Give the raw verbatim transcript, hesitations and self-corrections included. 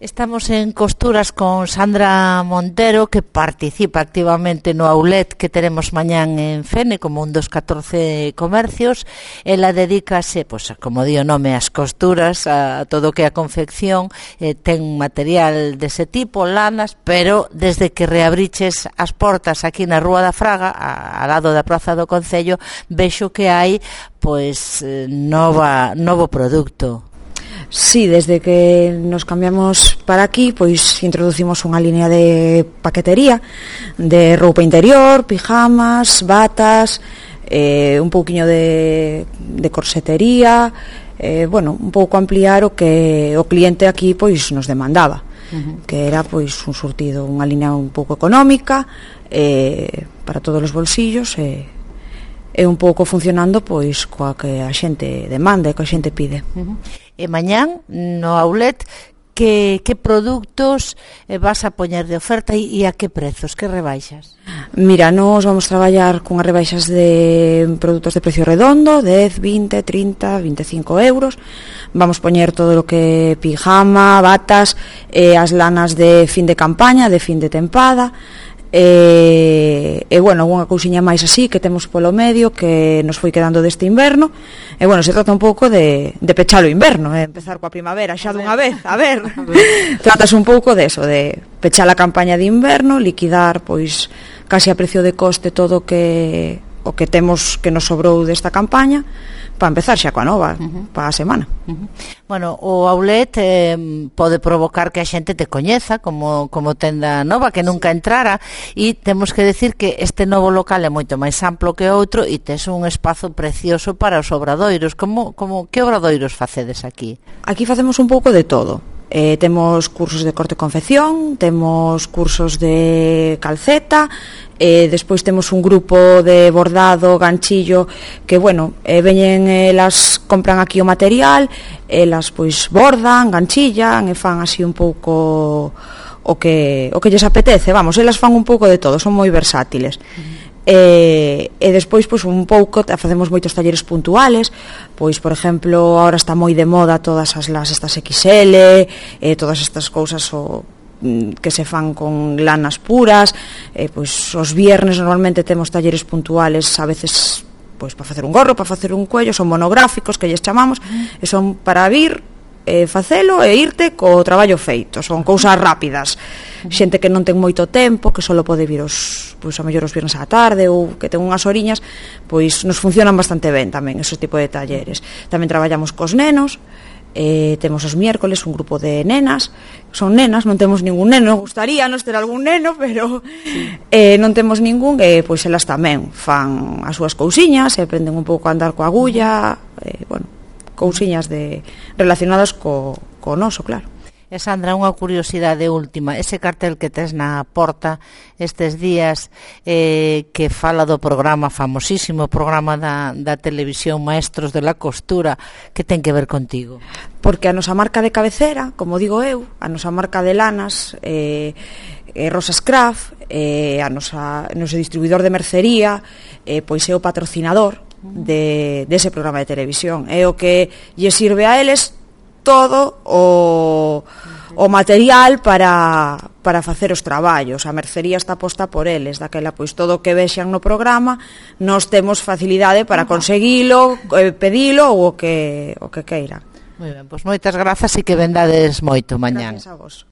Estamos en Costuras con Sandra Montero, que participa activamente no outlet que teremos mañán en Fene como un dos catorce comercios. Ela dedícase, pois, como di o nome, ás costuras, a todo o que é a confección, eh, ten material dese tipo, lanas, pero desde que reabriches as portas aquí na Rúa da Fraga, a, ao lado da Praza do Concello, vexo que hai pois nova novo produto. Sí, desde que nos cambiamos para aquí, pois introducimos unha línea de paquetería de roupa interior, pijamas, batas, eh, un pouquiño de, de corsetería, eh, bueno, un pouco ampliar o que o cliente aquí pois nos demandaba, uh-huh. que era pois un surtido, unha línea un pouco económica, eh, para todos os bolsillos, e eh, e un pouco funcionando pois coa que a xente demanda e que a xente pide. Uh-huh. E mañán no outlet que, que produtos vas a poñer de oferta e, e a que prezos, que rebaixas? Mira, nos vamos traballar con as rebaixas de produtos de precio redondo, dez, vinte, trinta, vinte e cinco euros. Vamos poñer todo o que pijama, batas, eh, as lanas de fin de campaña, de fin de tempada. E, e bueno, unha cousiña máis así que temos polo medio que nos foi quedando deste inverno. E bueno, se trata un pouco de, de pechar o inverno, eh? Empezar coa primavera xa dunha vez, a ver. Tratas un pouco de eso, de pechar a campaña de inverno, liquidar pois casi a precio de coste todo o que o que temos que nos sobrou desta campaña, para empezar xa coa nova, uh-huh. para a semana. Uh-huh. Bueno, o outlet eh, pode provocar que a xente te coñeza como, como tenda nova, que nunca entrara, e temos que decir que este novo local é moito máis amplo que outro e tes un espazo precioso para os obradoiros. Como, como, que obradoiros facedes aquí? Aquí facemos un pouco de todo. Eh, temos cursos de corte e confección, temos cursos de calceta, eh, despois temos un grupo de bordado, ganchillo, que, bueno, eh, veñen, elas compran aquí o material, elas, pois, bordan, ganchillan, e fan así un pouco o que, o que lles apetece, vamos, elas fan un pouco de todo, son moi versátiles. Uh-huh. E, e despois pois un pouco facemos moitos talleres puntuales, pois por exemplo agora está moi de moda todas as las estas equis ele, e todas estas cousas o, que se fan con lanas puras, e, pois os viernes normalmente temos talleres puntuales, a veces pois para facer un gorro, para facer un cuello, son monográficos que lles chamamos, e son para vir e facelo e irte co traballo feito, son cousas rápidas, xente que non ten moito tempo, que só pode vir os, pois a mellor os viernes á tarde, ou que ten unhas oriñas, pois nos funcionan bastante ben tamén esos tipo de talleres. Tamén traballamos cos nenos, eh, temos os miércoles un grupo de nenas, son nenas, non temos ningún neno, gustaríanos ter algún neno, pero eh, non temos ningún, e pois elas tamén fan as súas cousiñas, e aprenden un pouco a andar coa agulla, e, bueno, cousiñas de relacionadas co, co noso, claro. E Sandra, unha curiosidade última, ese cartel que tes na porta estes días, eh, que fala do programa famosísimo, programa da, da televisión Maestros de la Costura, que ten que ver contigo? Porque a nosa marca de cabecera, como digo eu, a nosa marca de lanas, eh, eh, Rosas Craft, eh, a nosa, noso distribuidor de mercería, eh, pois é o patrocinador de, de ese programa de televisión, é o que lle sirve a eles todo o, o material para, para facer os traballos. A mercería está posta por eles, daquela pois todo o que vexan no programa nós temos facilidade para conseguilo, eh, pedilo ou o que, o que queiran. Moi ben, pois moitas grazas e que vendades moito mañán. Gracias a vos.